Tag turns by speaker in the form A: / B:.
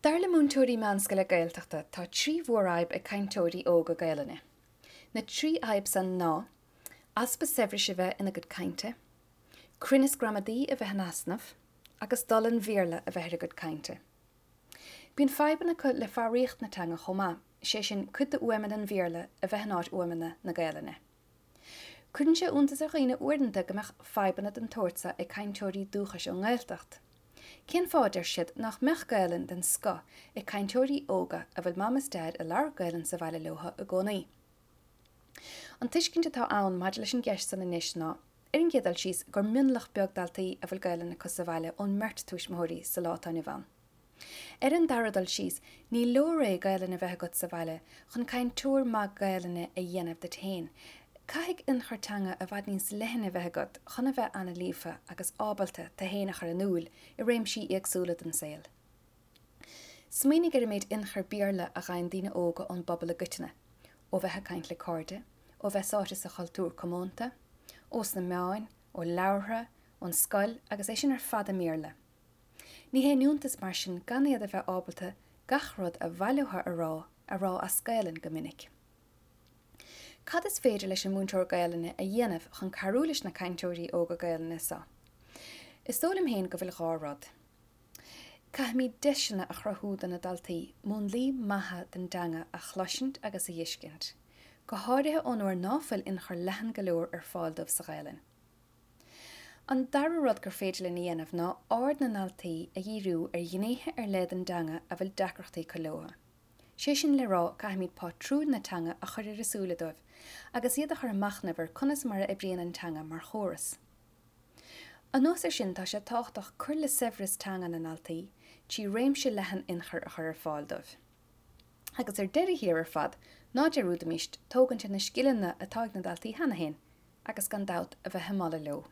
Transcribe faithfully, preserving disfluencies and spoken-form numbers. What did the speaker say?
A: Dar le múinteoirí meánscoile Gaeltachta tá trí mhórfhadhb ag cainteoirí óga Gaelainne. Na trí fhadhb san ná, easpa saibhris a bheith ina gcuid cainte, cruinneas gramadaí a bheith in easnamh, agus dul an Bhéarla a bheith ar a gcuid cainte. Bíonn fadhbanna acu le foghraíocht na teanga chomh maith, sé sin cuid de fhuaimeanna an Bhéarla a bheith in áit fhuaimeanna na Gaelainne. Cuireann sé iontas ar dhaoine uaireanta go mbeadh fadhbanna den tsórt seo ag cainteoirí dúchais ón nGaeltacht. Cén fáth deir siad nach mbeadh Gaelainn den scoth ag cainteoirí óga a bhfuil mam is daid ag labhairt Gaelainn sa bhaile leo i gcónaí. An tuiscint atá ann maidir leis an gceist san anois ná, ar an gcéad dul síos gur mionlach beag daltaí a bhfuil Gaelainn acu sa bhaile ón mbeirt tuismitheoirí sa lá atá inniu ann. Ar an dara dul síos, ní leor é Gaelainn a bheith agat sa bhaile chun cainteoir maith Gaelainne a dhéanamh díot féin. Caithfidh ionchur teanga i bhfad níos leithne a bheith agat chun a bheith an-líofa agus ábalta tú féin a chur in iúl i réimsí éagsúla den saol. Smaoinigh ar an méid ionchur Béarla a fhaigheann daoine óga ón bpobal i gcoitinne, ó bheith ag caint le cairde, ó bheith sáite sa chultúr comónta, ó sna meáin, ó leabhartha, ón scoil agus é sin ar fad i mBéarla. Ní haon iontas mar sin gan iad a bheith ábalta gach rud a mhaith leo a rá a rá as Gaelainn go minic. Cad is féidir leis an múinteoir Gaelainne a dhéanamh chun cabhrú leis na cainteoirí óga Gaelainne seo? Is dóigh liom féin go bhfuil dhá rud. Caithfimid deiseanna a chruthú do na daltaí múnlaí maithe den dteanga a chloisint agus a fheiscint, go háirithe ón uair ná fuil ionchur leathan go leor ar fáil dóibh sa Ghaelainn. An dara rud gur féidir linn a dhéanamh ná aird na ndaltaí a dhíriú ar ghnéithe ar leith den dteanga a bhfuil deacrachtaí acu leo. Sé sin le rá caithfimid pátrúin na teanga a chur ar a súile dóibh, agus iad a chur ag machnamh ar conas mar a oibríonn an teanga mar chóras. Anuas air sin tá sé tábhachtach cur le saibhreas teanga na ndaltaí trí réimse leathan ionchur a chur ar fáil dóibh. Agus ar deireadh thiar ar fad, ná dearúdaimis tógaint ar na scileanna atá ag na daltaí cheana féin, agus gan dabht a bheith ag moladh leo.